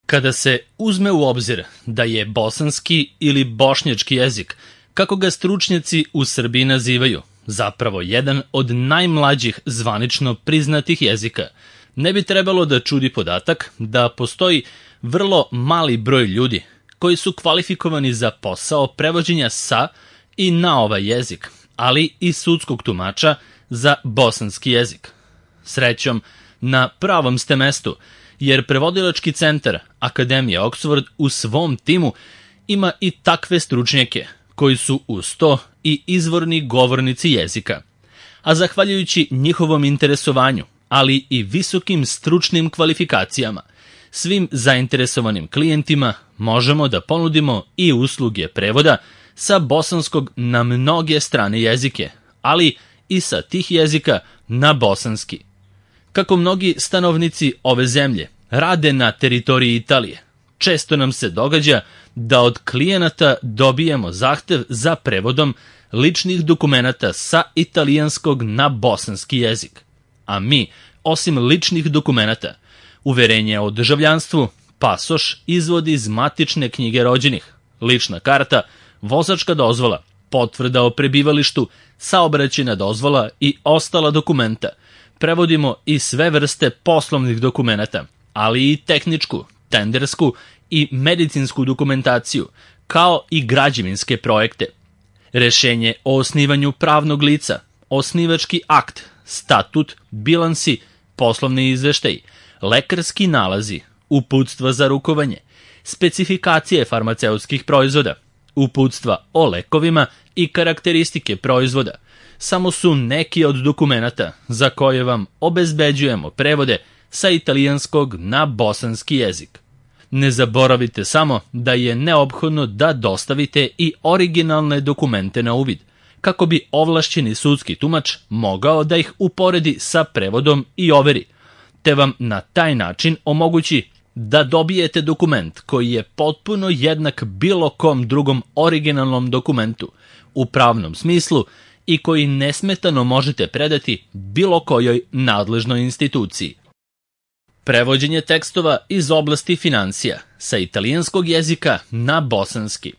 Kada se uzme u obzir da je bosanski ili bošnjački jezik, kako ga stručnjaci u Srbiji nazivaju, zapravo jedan od najmlađih zvanično priznatih jezika, ne bi trebalo da čudi podatak da postoji vrlo mali broj ljudi koji su kvalifikovani za posao prevođenja sa i na ovaj jezik, ali i sudskog tumača za bosanski jezik. Srećom, na pravom ste mestu, jer prevodilački centar Akademije Oxford u svom timu ima i takve stručnjake koji su uz to i izvorni govornici jezika. A zahvaljujući njihovom interesovanju, ali i visokim stručnim kvalifikacijama, svim zainteresovanim klijentima možemo da ponudimo i usluge prevoda sa bosanskog na mnoge strane jezike, ali i sa tih jezika na bosanski. Kako mnogi stanovnici ove zemlje rade na teritoriji Italije, često nam se događa da od klijenata dobijemo zahtev za prevodom ličnih dokumenata sa italijanskog na bosanski jezik. A mi, osim ličnih dokumenata, uverenje o državljanstvu, pasoš, izvod iz matične knjige rođenih, lična karta, vozačka dozvola, potvrda o prebivalištu, saobraćajna dozvola i ostala dokumenta, prevodimo i sve vrste poslovnih dokumenata, ali i tehničku, tendersku i medicinsku dokumentaciju, kao i građevinske projekte. Rešenje o osnivanju pravnog lica, osnivački akt, statut, bilansi, poslovni izveštaj, lekarski nalazi, uputstva za rukovanje, specifikacije farmaceutskih proizvoda, uputstva o lekovima i karakteristike proizvoda, samo su neki od dokumenata za koje vam obezbeđujemo prevode sa italijanskog na bosanski jezik. Ne zaboravite samo da je neophodno da dostavite i originalne dokumente na uvid, kako bi ovlašćeni sudski tumač mogao da ih uporedi sa prevodom i overi, te vam na taj način omogući da dobijete dokument koji je potpuno jednak bilo kom drugom originalnom dokumentu u pravnom smislu i koji nesmetano možete predati bilo kojoj nadležnoj instituciji. Prevođenje tekstova iz oblasti finansija sa italijanskog jezika na bosanski.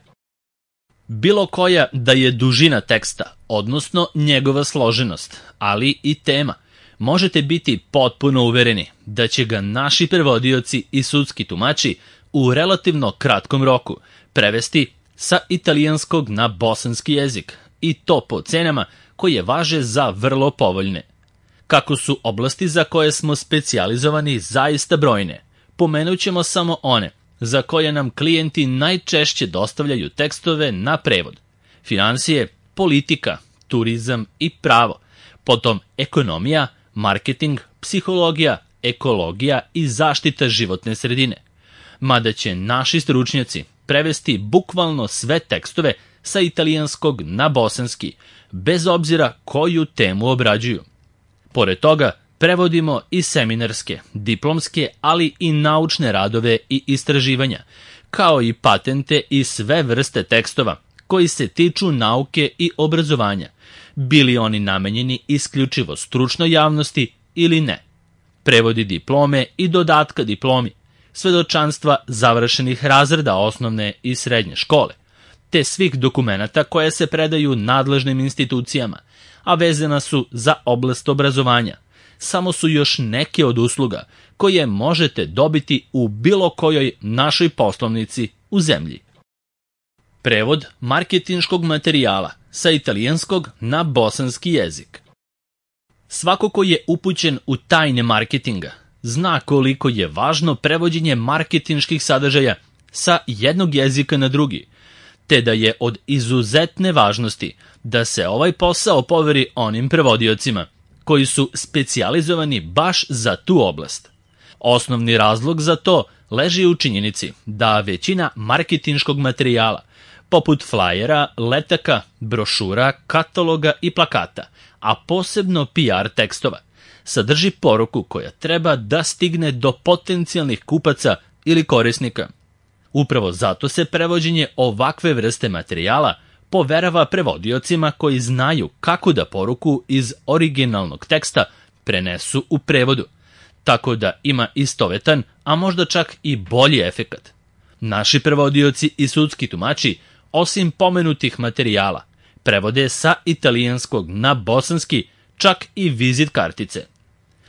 Bilo koja da je dužina teksta, odnosno njegova složenost, ali i tema, možete biti potpuno uvereni da će ga naši prevodioci i sudski tumači u relativno kratkom roku prevesti sa italijanskog na bosanski jezik, i to po cenama koje važe za vrlo povoljne. Kako su oblasti za koje smo specijalizovani zaista brojne, pomenut ćemo samo one za koje nam klijenti najčešće dostavljaju tekstove na prevod: finansije, politika, turizam i pravo, potom ekonomija, marketing, psihologija, ekologija i zaštita životne sredine. Mada će naši stručnjaci prevesti bukvalno sve tekstove sa italijanskog na bosanski, bez obzira koju temu obrađuju. Pored toga, prevodimo i seminarske, diplomske, ali i naučne radove i istraživanja, kao i patente i sve vrste tekstova koji se tiču nauke i obrazovanja, bili oni namenjeni isključivo stručnoj javnosti ili ne. Prevodi diplome i dodatka diplomi, svedočanstva završenih razreda osnovne i srednje škole, te svih dokumenata koje se predaju nadležnim institucijama, a vezana su za oblast obrazovanja, samo su još neke od usluga koje možete dobiti u bilo kojoj našoj poslovnici u zemlji. Prevod marketinškog materijala sa italijanskog na bosanski jezik. Svako ko je upućen u tajne marketinga zna koliko je važno prevođenje marketinških sadržaja sa jednog jezika na drugi, te da je od izuzetne važnosti da se ovaj posao poveri onim prevodiocima koji su specijalizovani baš za tu oblast. Osnovni razlog za to leži u činjenici da većina marketinškog materijala, poput flajera, letaka, brošura, kataloga i plakata, a posebno PR tekstova, sadrži poruku koja treba da stigne do potencijalnih kupaca ili korisnika. Upravo zato se prevođenje ovakve vrste materijala poverava prevodiocima koji znaju kako da poruku iz originalnog teksta prenesu u prevodu, tako da ima istovetan, a možda čak i bolji efekat. Naši prevodioci i sudski tumači, osim pomenutih materijala, prevode sa italijanskog na bosanski čak i vizit kartice.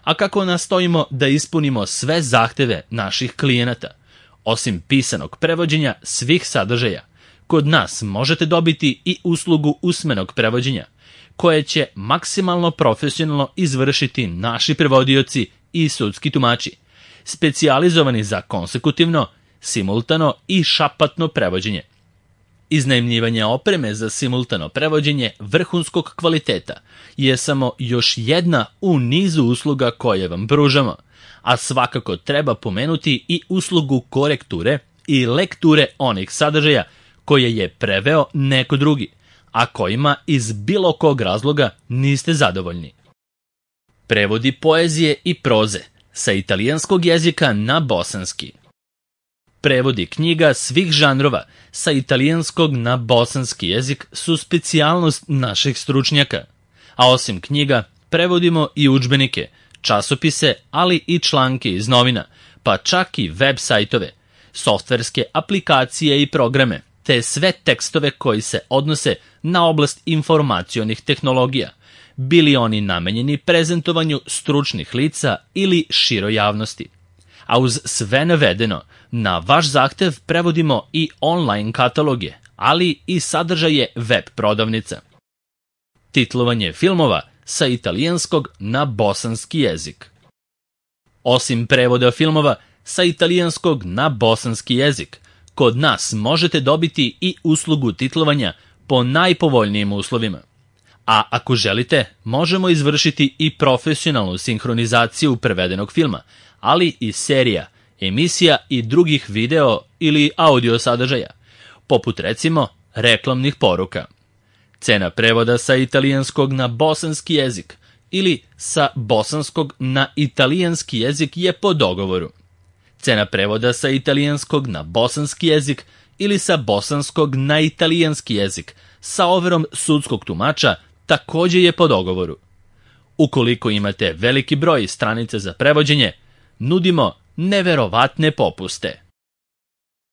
A kako nastojimo da ispunimo sve zahteve naših klijenata, osim pisanog prevođenja svih sadržaja, kod nas možete dobiti i uslugu usmenog prevođenja, koje će maksimalno profesionalno izvršiti naši prevodioci i sudski tumači, specijalizovani za konsekutivno, simultano i šapatno prevođenje. Iznajmljivanje opreme za simultano prevođenje vrhunskog kvaliteta je samo još jedna u nizu usluga koje vam pružamo, a svakako treba pomenuti i uslugu korekture i lekture onih sadržaja koje je preveo neko drugi, a kojima iz bilo kog razloga niste zadovoljni. Prevodi poezije i proze sa italijanskog jezika na bosanski. Prevodi knjiga svih žanrova sa italijanskog na bosanski jezik su specijalnost naših stručnjaka, a osim knjiga prevodimo i udžbenike, časopise, ali i članke iz novina, pa čak i web sajtove, softverske aplikacije i programe, te sve tekstove koji se odnose na oblast informacionih tehnologija, bili oni namenjeni prezentovanju stručnih lica ili široj javnosti. A uz sve navedeno, na vaš zahtev prevodimo i online kataloge, ali i sadržaje web prodavnica. Titlovanje filmova sa italijanskog na bosanski jezik. Osim prevoda filmova sa italijanskog na bosanski jezik, kod nas možete dobiti i uslugu titlovanja po najpovoljnijim uslovima. A ako želite, možemo izvršiti i profesionalnu sinhronizaciju prevedenog filma, ali i serija, emisija i drugih video ili audio sadržaja, poput recimo reklamnih poruka. Cena prevoda sa italijanskog na bosanski jezik ili sa bosanskog na italijanski jezik je po dogovoru. Cena prevoda sa italijanskog na bosanski jezik ili sa bosanskog na italijanski jezik sa overom sudskog tumača također je po dogovoru. Ukoliko imate veliki broj stranica za prevođenje, nudimo neverovatne popuste.